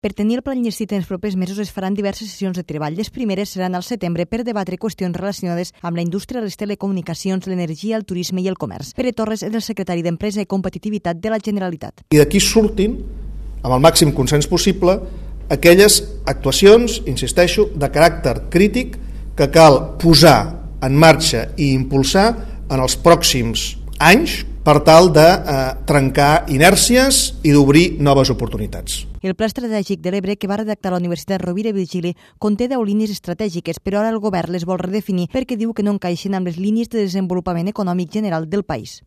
Per tenir el pla enllestit en els propers mesos es faran diverses sessions de treball. Les primeres seran al setembre per debatre qüestions relacionades amb la indústria, les telecomunicacions, l'energia, el turisme i el comerç. Pere Torres és el secretari d'Empresa i Competitivitat de la Generalitat. I d'aquí surtin, amb el màxim consens possible, aquelles actuacions, insisteixo, de caràcter crític que cal posar en marxa i impulsar en els pròxims anys per tal de trencar inèrcies i d'obrir noves oportunitats. El Pla Estratègic de l'Ebre que va redactar la Universitat Rovira i Virgili conté 10 línies estratègiques, però ara el govern les vol redefinir perquè diu que no encaixen amb les línies de desenvolupament econòmic general del país.